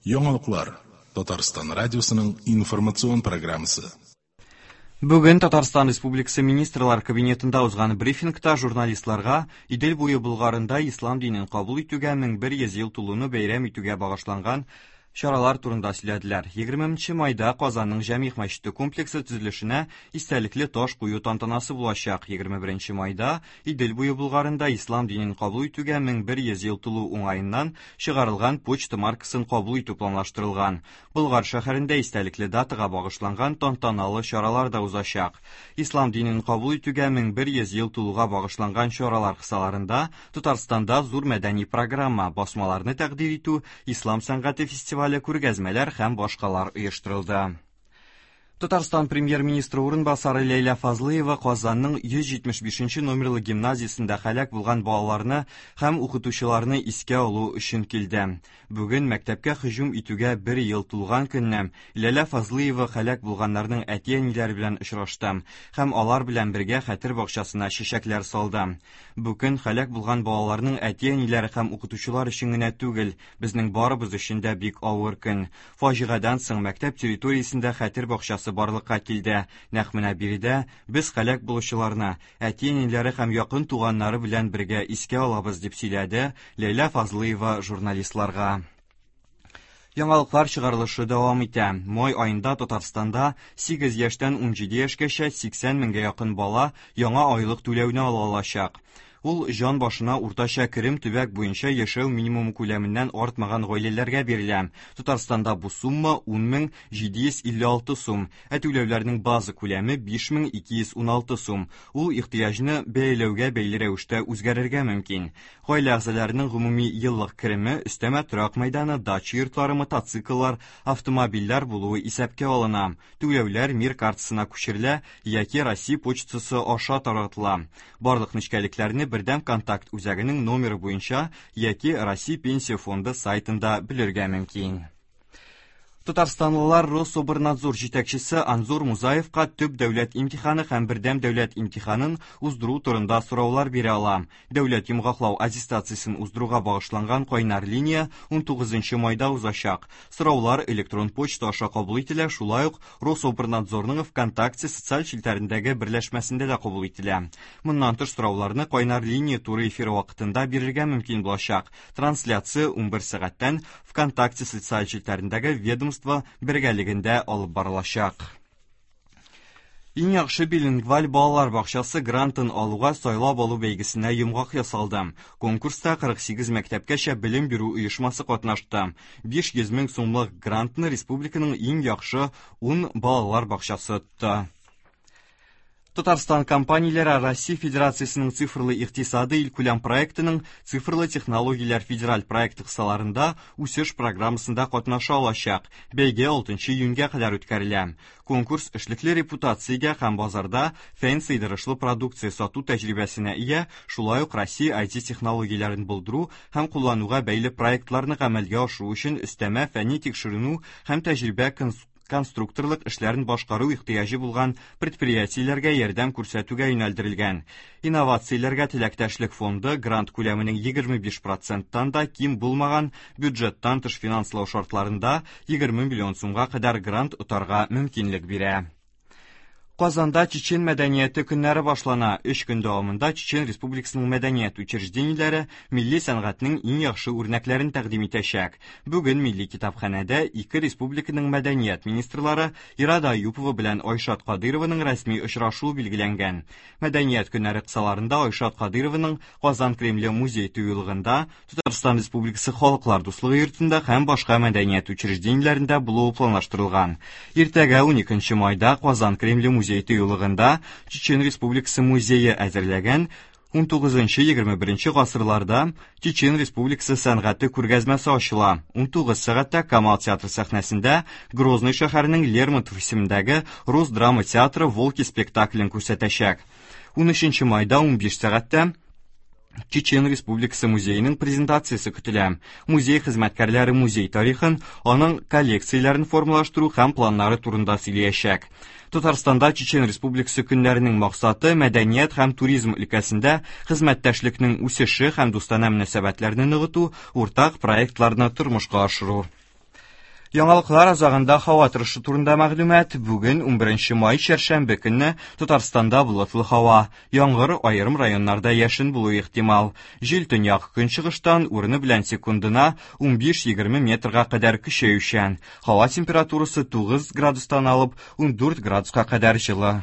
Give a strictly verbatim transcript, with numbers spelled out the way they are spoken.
Яңалыклар. Татарстан радиосының информацион программасы. Бүген Татарстан Республикасы Министрлар Кабинетында узган брифингта журналистларга Идел буе Болгарында ислам динен кабул итүгә мең бер йөз ел тулуны бәйрәм итүгә багышланган чаралар турында сөйләделәр. Егерменче майда Казанның Җәмигъ мәчете комплексы төзелешенә истәлекле таш кую тантанасы булачак. Егерме беренче майда Идел буе Болгарында ислам динен кабул итүгә мең бер йөз ел тулу уңаеннан чыгарылган почта маркасын кабул итү планлаштырылган. Болгар шәһәрендә истәлекле датага багышланган тантаналы чаралар да узачак. Ислам динен кабул итүгә мең бер йөз ел тулуга багышланган чаралар кысаларында Татарстанда зур мәдәни программа, басмаларны тәкъдир итү, ислам сәнгате фестивале, күргәзмәләр һәм башкалар оештырылды. Татарстан премьер-министры урынбасары Ләйлә Фазлыева Казанның йөз җитмеш бишенче номерлы гимназиясендә һәлак булган балаларны һәм укытучыларны искә алу өчен килде. Бүген мәктәпкә һөҗүм итүгә бер ел тулган көнне Ләйлә Фазлыева һәлак булганнарның әти-әниләре белән очрашты һәм алар белән бергә хәтер бакчасына чәчәкләр салды. Бүген һәлак булган балаларның әти-әниләре һәм укытучылар өчен генә түгел, безнең барыбыз өчен дә бик авыр көн. Фаҗигадән соң мәктәп территориясендә хәтер бакчасы барлыкка килде. Нәкъ менә биредә без һәлак булучыларны әти-әниләре һәм якын туганнары белән бергә искә алабыз, дип сөйләде Ләйлә Фазлыева журналистларга. Яңалыклар чыгарылышы дәвам итә. Май аенда Татарстанда сигез яшьтән унҗиде яшькәчә сиксән меңгә якын бала яңа айлык түләүне ала алачак. Ул җан башына уртача керем төбәк буенча яшәү минимумы күләменнән артмаган гаиләләргә бирелә. Татарстанда бу сумма ун мең җиде йөз илле алты сум, ә түләүләрнең база күләме биш мең ике йөз ун алты сум. Ул ихтыяҗны бәяләүгә бәйле рәвештә үзгәрергә мөмкин. Гаилә әгъзаларының гомуми еллык кереме, өстәмә торак мәйданы, дача йортлары, мотоцикллар, автомобильләр булуы исәпкә алына. Түләүләр Мир картасына күчерелә яки Россия почтасы аша таратыла. Барлык нечкәлекләрне бердәм контакт үзәгенең номеры буенча яки Россия Пенсия фонды сайтында белергә мөмкин. Татарстанлылар Рособрнадзор җитәкчесе Анзор Музаевка төп дәүләт имтиханы һәм бердәм дәүләт имтиханын уздыру турында сораулар бирә ала. Дәүләт йомгаклау аттестациясен уздыруга багышланган кайнар линия унтугызынчы майда узачак. Сораулар электрон почта аша кабул ителә, шулай ук Рособрнадзорның ВКонтакте социаль челтәрендәге берләшмәсендә дә кабул ителә. Моннан тыш сорауларны кайнар линия туры эфиры вакытында бирергә мөмкин булачак. Трансляция унбер сәгатьтән ВКонтакте социаль челтәрендәге ведомство бергәлегендә алып барылачак. Иң яхшы билингваль балалар бакчасы грантын алуга сайлап алу бәйгесенә йомгак ясалды. Конкурста кырык сигез мәктәпкәчә белем бирү оешмасы катнашты. Биш йөз мең сумлык грантны республиканың иң яхшы ун балалар бакчасы отты. Татарстан компанияләре Россия Федерациясенең цифрлы икътисады илкүләм проектының Цифрлы технологияләр федераль проекты кысаларында үсеш программасында катнаша алачак. Бәйге алтынчы июньгә кадәр үткәрелә. Конкурс эшлекле репутациягә һәм базарда фән сыйдырышлы продукция сату тәҗрибәсенә ия, шулай ук Россия ай ти технологияләрен булдыру һәм куллануга бәйле проектларны гамәлгә ашыру өчен өстәмә фәнни тикшеренү һәм тәҗрибә конс-, конструкторлык эшләрен башкару ихтыяҗы булган предприятиеләргә ярдәм күрсәтүгә юнәлдерелгән. Инновацияләргә теләктәшлек фонды грант күләменең егерме биш проценттан да ким булмаган бюджеттан тыш финанслау шартларында егерме миллион сумга кадәр грант отарга мөмкинлек бирә. Казанда Чечен мәдәнияте көннәре башлана. Өч көн дәвамында Чечен Республикасының мәдәният учреждениеләре милли сәнгатьнең иң яхшы үрнәкләрен тәкъдим итәчәк. Бүген Милли китапханәдә ике республиканың мәдәният министрлары Ирада Аюпова белән Айшат Кадырованың рәсми очрашуы билгеләнгән. Мәдәният көннәре кысаларында Айшат Кадырованың Казан Кремле музей тыюлыгында, Татарстан Республикасы Халыклар дуслыгы йортында һәм башка мәдәният учреждениеләрендә булуы планлаштырылган. Иртәгә уникенче майда Казан Кремле музей тыюлыгында Чечен Республикасы музее әзерләгән унтугызынчы егерме беренче гасырларда Чечен Республикасы сәнгате күргәзмәсе ачыла. Унтугыз сәгатьтә Камал театры сәхнәсендә Грозный шәһәренең Лермонтов исемендәге Рус драма театры Волки спектаклен күрсәтәчәк. Унөченче майда унбиш сәгатьтә Чечен Республикасы музееның презентациясе көтелә. Музей хезмәткәрләре музей тарихын, аның коллекцияләрен формалаштыру һәм планнары турында сөйләячәк. Татарстанда Чечен Республикасы көннәренең максаты мәдәният һәм туризм өлкәсендә хезмәттәшлекнең үсеше һәм дустанә мөнәсәбәтләрне ныгыту, уртак проектларны тормышка ашыру. Яңалыклар азагында һава торышы турында мәгълүмат. Бүген унберенче май чәршәмбе көнне Татарстанда болытлы һава. Яңгыр, аерым районнарда яшен булуы ихтимал. Җил төньяк көнчыгыштан урыны белән секундына унбиш-егерме метрга кадәр көчәючән. Һава температурасы тугыз градустан алып ундүрт градуска кадәр җылы.